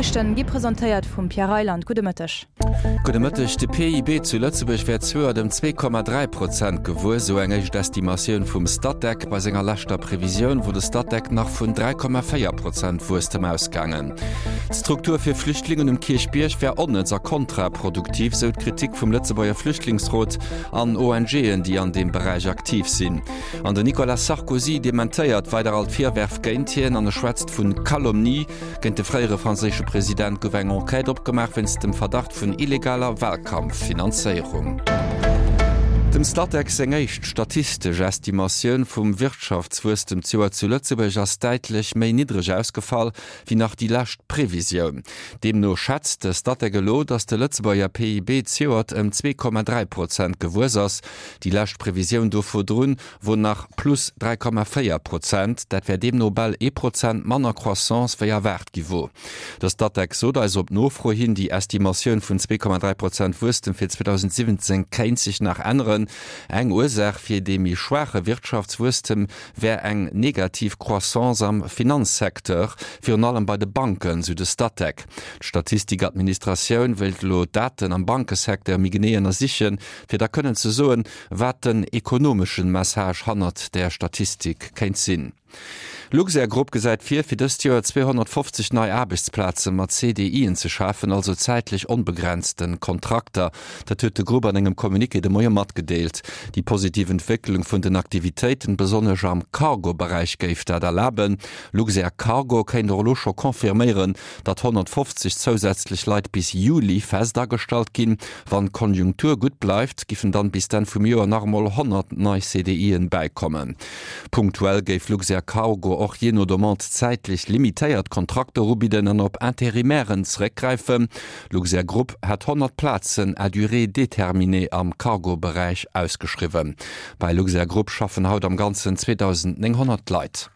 D'Noriichten gi presentéiert vum Pierre Reyland. Gudde Mëtteg. Gudde Mëtteg. De PIB zu Lëtzebuerg wär d'Zuert ëm 2,3 Prozent gewuess, esou eng éischt Estimatioun vum Statec. Bei senger leschter Previsioun wor de Statec nach vun 3,4 Prozent Wuesstem ausgaangen. D'Struktur fir Flüchtlingen um Kierchbierg wär onnëtz a kontraproduktiv, esou d'Kritik vum Lëtzebuerger Flüchtlingsrot an ONGen, déi an deem Beräich aktiv sinn. An den Nicolas Sarkozy dementéiert weider all d'Virwerf géint hien an e schwätzt vun Calomnie. Géint de fréiere franséische President gouf eng Enquête opgemaach wéinst dem Verdacht vun illegaler Walkampffinanzéierung. Dem Statec seng éischt statistesch Estimatioun vum Wirtschaftswuesstem d'Joer zu Lëtzebuerg ass däitlech méi niddreg ausgefall wéi nach déi lescht Previsioun. Deemno schätzt de Statec elo, datt de Lëtzebuerger PIB zejoert ëm 2,3 Prozent gewuess ass. Déi lescht Previsioun do virdrun wor nach plus 3,4 Prozent, dat wär deemno bal ee Prozent manner Croissance wéi erwaart gi wor. De Statec sot eis op Nofro hin, déi Estimatioun vun 2,3 Prozent Wuesstem fir 2017 kéint sech nach änneren. Eng Ursaach fir dee méi schwaache Wirtschaftswuesstem wär eng negativ Croissance am Finanzsecteur, virun allem bei de Banken, sou de Statec. D'Statistikadministratioun wéilt elo d'Daten am Bankesecteur méi genee ënnersichen, fir da kënnen ze soen, wat den ekonomeschen Message hannert där Statistik kéint sinn. Luxair Group gesäit vir, fir dëst Joer 250 nei Aarbechtsplaze mat CDIen ze schafen, also zäitlech onbegrenzten Kontrakter. Dat huet de Grupp an engem Communiqué de Moie matgedeelt. Déi positiv Entwécklung vun den Aktivitéiten, besonnesch am Cargo-Beräich, géif dat erlaben. Luxair Cargo kéint och elo scho confirméieren, datt 150 zousätzlech Leit bis Juli fest agestallt ginn. Wann d'Konjunktur gutt bleift, giffen dann bis d'Enn vum Joer nach emol 100 nei CDIen bäikommen. Punktuell géif Luxair Cargo och jee no Demande zäitlech limitéiert Kontrakter ubidden an op Interimairen zeréckgräifen. Luxair Group hätt 100 Plazen à durée déterminée am Cargo-Beräich ausgeschriwwen. Bei Luxair Group schaffen haut am Ganzen 2.900 Leit.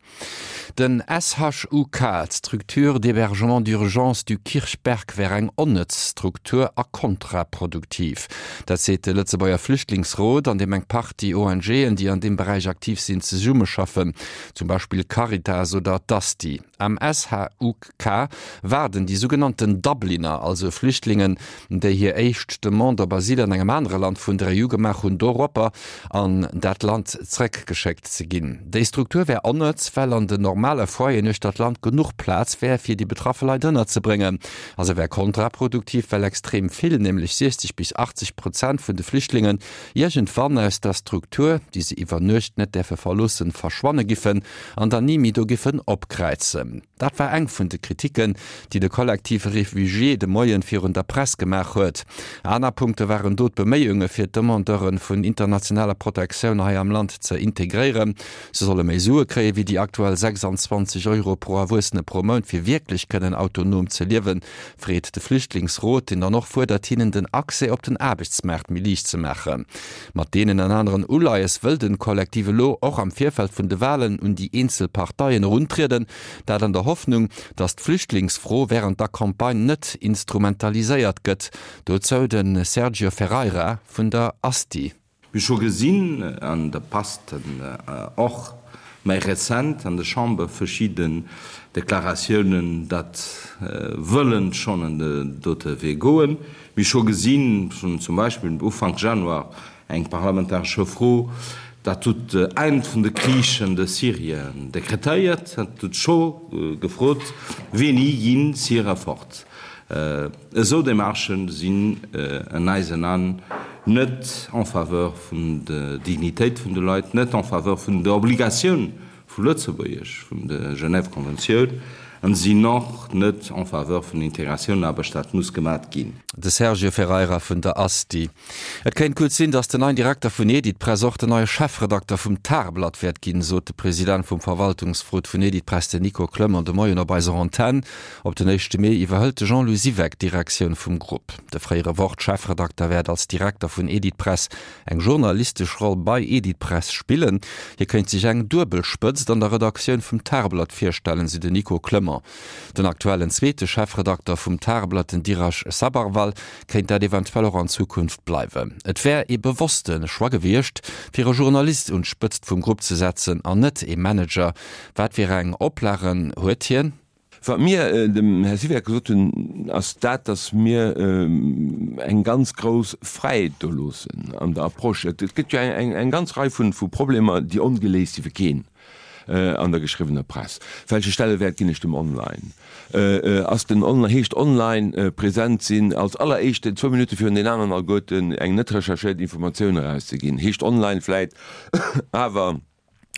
Den SHUK, d'Structure d'hébergement d'urgence du Kirchberg, wär eng onnëtz Struktur a kontraproduktiv. Dat seet de Lëtzebuerger Flüchtlingsrot, an deem eng Partie ONGen, déi an deem Beräich aktiv sinn, zesummeschaffen, zum Beispill d'Caritas oder d'ASTI. Am SHUK waarden déi sougenannten Dubliner, also Flüchtlingen, déi hir éischt Demande op Asyl an engem anere Land vun der EU gemaach hunn, doropper an dat Land zeréckgeschéckt ze ginn. Déi Struktur wär onnëtz, well an den normale Foyeren uechter d'Land genuch Plaz wär, fir déi betraffe Leit ënnerzebréngen. A se wär kontraproduktiv, well extrem vill, nämlech 60 bis 80 Prozent vun de Flüchtlingen, iergendwann aus der Struktur, déi se iwwer Nuecht net däerfe verloossen, verschwanne giffen an dann ni méi do giffen opkräizen. Dat war eng vun de Kritiken, déi de Collectif Réfugiés de Moien virun der Press gemaach huet. Aner Punkte waren do d'Beméiunge fir d'Demandeure vun internationaler Protektioun hei am Land ze integréieren. Se solle méi Sue kréie wéi déi aktuell 26 Euro pro Erwuessene pro Mount, fir wierklech kënnen autonom ze liewen, freet de Flüchtlingsrot, deen dann och fuerdert, hinnen den Accès op den Aarbechtsmaart méi liicht ze maachen. Mat deenen an aneren Uleies wëll den Kollektiv elo och am Virfeld vun de Walen un déi eenzel Parteien eruntrieden, dat an der Hoffnung, datt d'Flüchtlingsfro wärend der Campagne net instrumentaliséiert gëtt. Dozou de Sergio Ferreira vun der Asti. Mir scho gesinn, an dat passt och méi rezent an der Chamber, verschidden Deklaratiounen, datt wëllen schonn an den dote Wee goen. Mir scho gesinn, zum Beispill Ufank Januar eng parlamentaresche Fro, dat huet d'Enn vun de Krich an de Syrien dekretéiert, dat huet scho gefrot, Wéini ginn d'Syrer fort? Esou Demarchë sinn an eisen An net en faveur vun der Dignitéit vun de Leit, net en faveur vun der Obligatioun vu Lëtzebuerg, vun der Genève Konventioun, an sinn och net en faveur vun Integratioun-Aarbecht, dat muss gemat ginn. De Sergio Ferreira vun der Asti. Et kéint gutt sinn, datt den neien Direkter vun Editpress och den neie Chefredakter vum Tageblatt wäert ginn, sot de President vum Verwaltungsrot vun Editpress, den Nico Clement, de Moien op eiser Antenn. Op den éischte Mee iwwerhëlt de Jean-Louis Siweck d'Direktioun vum Grupp. De fréiere Wort-Chefredakter wäert als Direkter vun Editpress eng journalistesch Roll bei Editpress spillen. Hie kéint sech eng duebel Spëtzt an der Redaktioun vum Tageblatt virstellen, sou den Nico Clement. Den aktuellen zweete Chefredakter vum Tageblatt, den Dhiraj Sabharwal, kéint dat eventuell och an Zukunft bleiwen. Et wär ee bewosste Choix gewiescht, fir e Journalist un d'Spëtzt vum Grupp ze setzen an net ee Manager. Wat fir eng Oplagen huet hien? Wat mir dem Här Siweck gesot hunn, ass dat, datt mir eng ganz grouss Fräiheet do loossen an der Approche. Et gëtt jo eng ganz Rei vu Problemer, déi ongeléist si fir keen an der geschriwwener Press. Welche Stellewäert ginn ech dem Online? Ass den Online, heescht online present sinn, als alleréischten, zwou Minutte virun den aneren alleguerten, eng net recherchéiert Informatioun erauszeginn? Heescht online vläit awer,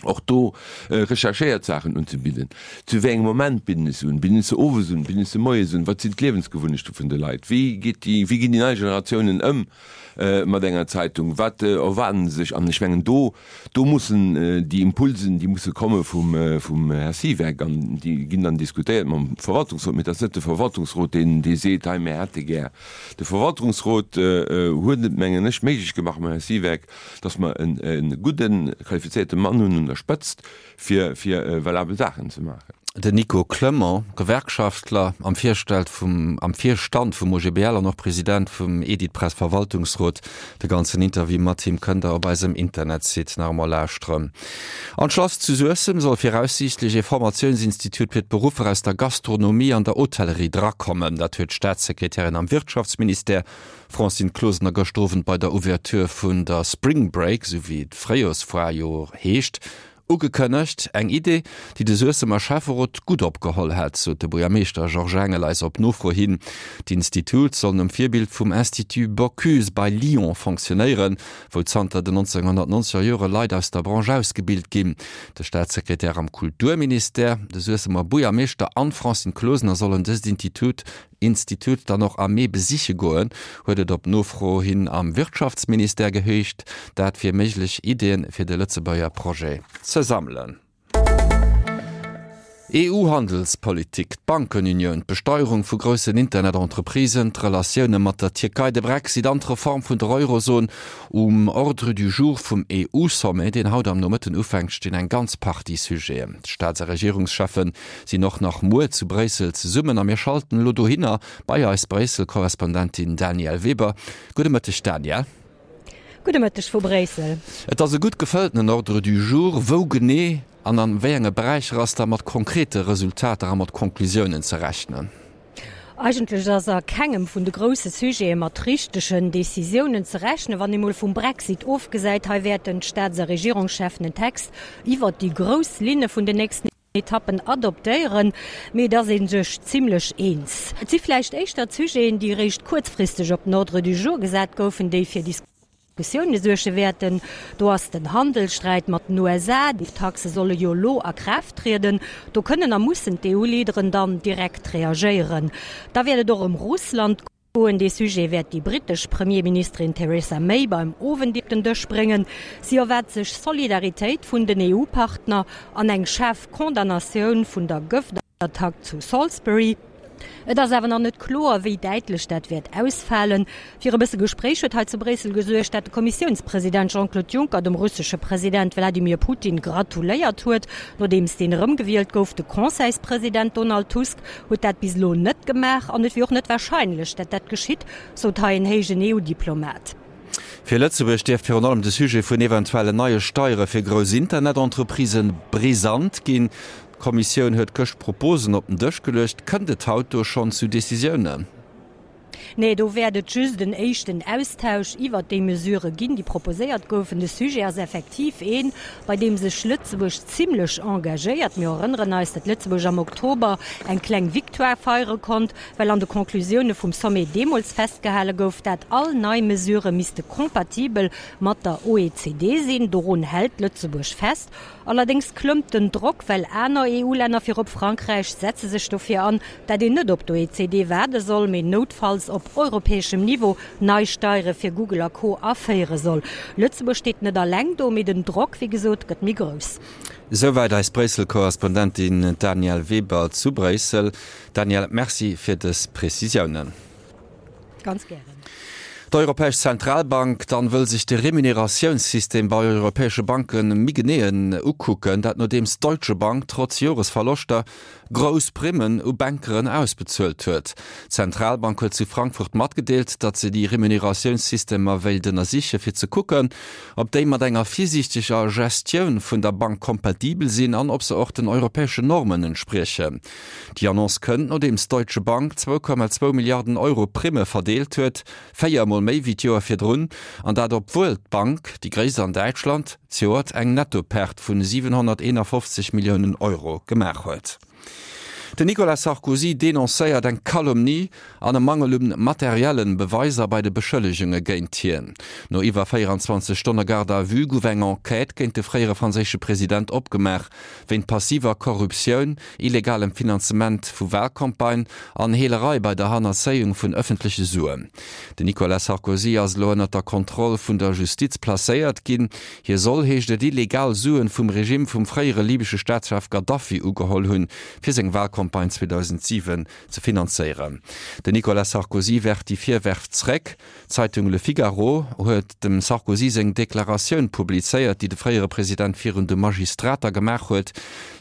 och do recherchéiert Saachen unzebidden. Zu wéi engem Moment bidden ech se un? Bidden ech se owes un? Bidden ech se moies un? Wat sinn d'Liewensgewunnechte vun de Leit? Wéi geet déi, wéi ginn déi nei Generatiounen ëm mat enger Zeitung? Wat erwaarden se sech? An ech mengen, do, do mussen déi Impulsen, déi musse komme vum, vum Här Siweck an déi ginn dann diskutéiert mam Verwaltungsrot. Mee et ass net de Verwaltungsrot, deen, dee seet, hei mir hätte gär. De Verwaltungsrot huet et, mengen ech, méiglech gemaach mam Här Siweck, dass mer e gudden, qualifizéierte Mann hunn un der Spëtzt, fir valabel Saachen ze maachen. Den Nico Clement, Gewerkschaftler, am Virstellt vum, am Virstand vum OGBL an och President vum Editpress-Verwaltungsrot. De ganzen Interview mat him kënnt der op eisem Internetsite nach emol lauschteren. An d'Schlass zu Suessem soll viraussiichtlech ee Formatiounsinstitut fir d'Beruffer aus der Gastronomie an der Hotellerie drakommen. Dat huet d'Staatssekretärin am Wirtschaftsministère Francine Closener gëschter Owend bei der Ouverture vun der Spring Break, esou wéi d'Fréijorsfoire jo heescht, ugekënnegt. Eng Idee, déi de Suessemer Schäfferot gutt opgeholl hätt, sot de Buergermeeschter Georges Engel eis op Nofro hin. D'Institut soll nom Virbild vum Institut Bocuse bei Lyon fonctionnéieren, wou zanter den 1990er Jore Leit aus der Branche ausgebilt ginn. De Staatssekretär am Kulturministère, de Suessemer Buergermeeschter an d'Francine Closener sollen dëst Intitut Institut dann och am Mee besiche goen, huet et op Nofro hin am Wirtschaftsministère geheescht, dat fir méiglech Iddien fir de Lëtzebuerger Projet ze sammelen. EU-Handelspolitik, d'Bankenunioun, d'Besteierung vu groussen Internet-Entreprisen, d'Relatioune mat der Tierkei, de Brexit an d'Reform vun der Eurozon, Um Ordre du jour vum EU-Sommet, deen haut am Nomëtten ufänkt, stinn eng ganz Partie Sujeten. D'Staats a Regierungscheffen sinn och nach muer zu Bréissel zesummen a mir schalten elo dohinner bei eis Bréissel-Korrespondentin Danièle Weber. Gudde Mëtteg Danièle. Gudde Mëtteg vu Bréissel. Et ass e gutt gefëlltenen Ordre du jour. Wou genee an an wéi enge Beräicher ass da mat konkrete Resultater a mat Conclusiounen ze rechnen? Eigentlech ass a kengem vun de grousse Sujete mat richtegen Decisiounen ze rechnen, wann ee mol vum Brexit ofgesäit. Hei wäerten d'Staats a Regierungscheffen en Text iwwert déi grouss Linne vun den nächsten Etappen adoptéieren, mee et ass ee sech zimlech eens. Et si vläicht éischter d'Sujeten, déi eréischt kuerzfristeg op den Ordre du jour gesat goufen, déi fir Diskussioune suerge wäerten. Do ass den Handelssträit mat den USA, déi Taxe solle jo elo a Kraaft trieden. Do kënnen a mussen d'EU-Leaderen dann direkt reagéieren. Da wäert et och ëm Russland goen. Dee Sujet wäert déi brittesch Premierministerin Theresa May beim Owend op den Dësch bréngen. Si erwaart sech Solidaritéit vun den EU-Partner an eng schaarf Condamnatioun vun der Gëftattack zu Salisbury. Et ass awer nach net kloer, wéi däitlech dat wäert ausfalen. Fir e bësse Gespréich huet hei zu Bréissel gesuergt, dat de Kommissiounspresident Jean-Claude Juncker dem russesche President Wladimir Putin gratuléiert huet, nodeems deen erëmgewielt gouf. De Conseilspresident Donald Tusk huet dat bis elo net gemaach an et wier och net warscheinlech, dat dat geschitt, sot hei en héijen EU-Diplomat. Fir Lëtzebuerg dierft virun allem de Sujet vun eventuellen neie Steiere fir grouss Internet-Entreprisen brisant ginn. D'Kommissioun huet gëscht Proposen op den Dësch geluecht. Kënnt et haut do schonn zu Decisiounen? Nee, do wäert et just en éischten Austausch iwwert déi Mesurë ginn, déi proposéiert goufen. De Sujet ass effektiv een, bei deem sech Lëtzebuerg zimlech engagéiert. Mir erënneren eis, datt Lëtzebuerg am Oktober eng kleng Victoire feiere konnt, well an de Conclusioune vum Sommet deemools festgehale gouf, dat all nei Mesurë misste kompatibel mat der OECD sinn. Dorun hält Lëtzebuerg fest. Allerdéngs klëmmt den Drock, well aner EU-Länner, virop Frankräich, setze sech dofir an, dat een net op d'OECD waarde soll, mee noutfalls op europäeschem Niveau nei Steiere fir Google a Co aféiere soll. Lëtzebuerg steet net alleng do, mee den Drock, wéi gesot, gëtt méi grouss. Esouwäit eis Bréissel-Korrespondentin Danièle Weber zu Bréissel. Danièle, Merci fir dës Prezisiounen. Ganz gären. D'Europäesch Zentralbank dann wëll sech de Remuneratiounssystem bei europäesche Banke méi genee ukucken. Dat nodeems d'Deutsche Bank trotz Joresverloschter grouss Primmen u Bankeren ausbezuelt huet. D'Zentralbank huet zu Frankfurt matgedeelt, datt se déi Remuneratiounssystemer wéilt ënnersiche fir ze kucken, ob déi mat enger virsiichteger Gestioun vun der Bank kompatibel sinn an ob se och den europäeschen Normen entspriechen. Déi Annonce kënnt, nodeems d'Deutsche Bank 2,2 Milliarden Euro Primme verdeelt huet, 4 Mol méi wéi d'Joer virdrun, an dat obwuel d'Bank, déi gréisst an Däitschland, zejoert eng Nettoperte vun 751 Milliounen Euro gemaach huet. Den Nicolas Sarkozy denoncéiert eng Calomnie an e Mangel un materiellen Beweiser bei de Beschëllegunge géint hien. No iwwer 24 Stonne Garde à vue gouf eng Enquête géint de fréiere franséische President opgemaach, wéint passiver Korruptioun, illegalem Finanzement vu Walcampagne an Heelerei bei der Hannerzéiung vun ëffentleche Suen. Den Nicolas Sarkozy ass elo ënnert der Kontroll vun der Justiz placéiert ginn. Hie soll, heescht et, illegal Suen vum Regime vum fréiere libesche Staatschef Gaddafi ugeholl hunn, fir seng Walcampagne 2007 ze finanzéieren. Den Nicolas Sarkozy werft déi Virwërf zréck. D'Zeitung Le Figaro huet dem Sarkozy seng Deklaratioun publizéiert, déi de fréiere President virun de Magistrater gemaach huet.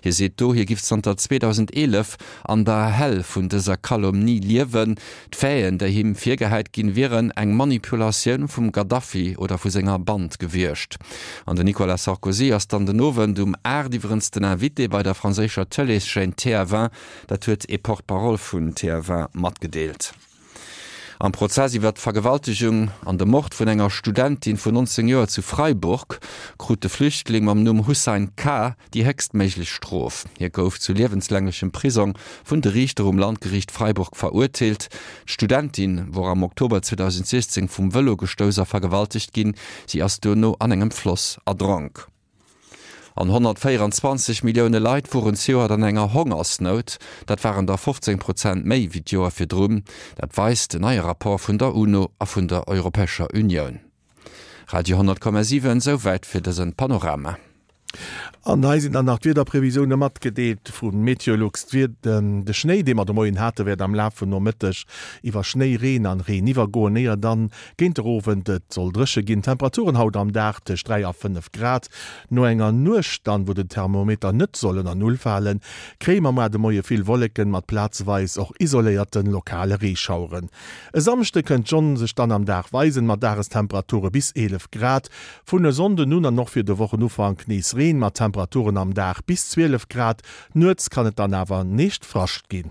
Hie seet do, hie giff zanter 2011 an der Hell vun dëser Calomnie liewen. D'Faiten, déi him virgehäit ginn, wieren eng Manipulatioun vum Gaddafi oder vu senger Band gewiescht. An den Nicolas Sarkozy ass dann den Owend um 8 iwwerens den Invité bei der franséischer Tëleeschaîne TF1. Dat huet ee Porte-parole vun TF1 matgedeelt. Am Prozess iwwer d'Vergewaltegung an de Mord vun enger Studentin vun 19 Joer zu Freiburg krut de Flüchtling mam Numm Hussein K. déi héchstméiglech Strof. Hie gouf zu liewenslänglechem Prisong vun de Riichter um Landgeriicht Freiburg verurteelt. D'Studentin wor am Oktober 2016 vum Vëlo gestouss a vergewaltegt ginn. Si ass duerno an engem Floss erdronk. An 124 Millioune Leit woren zejoert an enger Hongersnout. Dat waren der 15 Prozent méi wéi d'Joer virdrun. Dat weist en neie Rapport vun der UNO a vun der Europäescher Unioun. Radio 10,7, Esouwäit fir dësen Panorama. An hei sinn dann nach d'Wiederprevisioune matgedeelt vu Meteolux. De Schnéi, dee mer de Moien hate, wäert am Laf vum Nomëtteg iwwer Schnéi, Reen an Reen iwwergoen, éier dann Géint der Owend et soll dréche ginn. Temperaturen haut am Dag tëscht 3 a 5 Grad. No enger Nuecht dann, wou den Thermometer net soll ënner Null falen, kréie mer muar de Moie vill Wolleken mat plazeweis och isoléierte lokale Reeschaueren. E Samschde kënnt d'Sonn sech dann am Dag weisen, mat Dagestemperature bis 11 Grad. Vun e Sonnden un an och fir de Wochenufank nees Reen mat Temperaturen am Dag bis 12 Grad. Nuets kann et dann awer neescht Frascht ginn.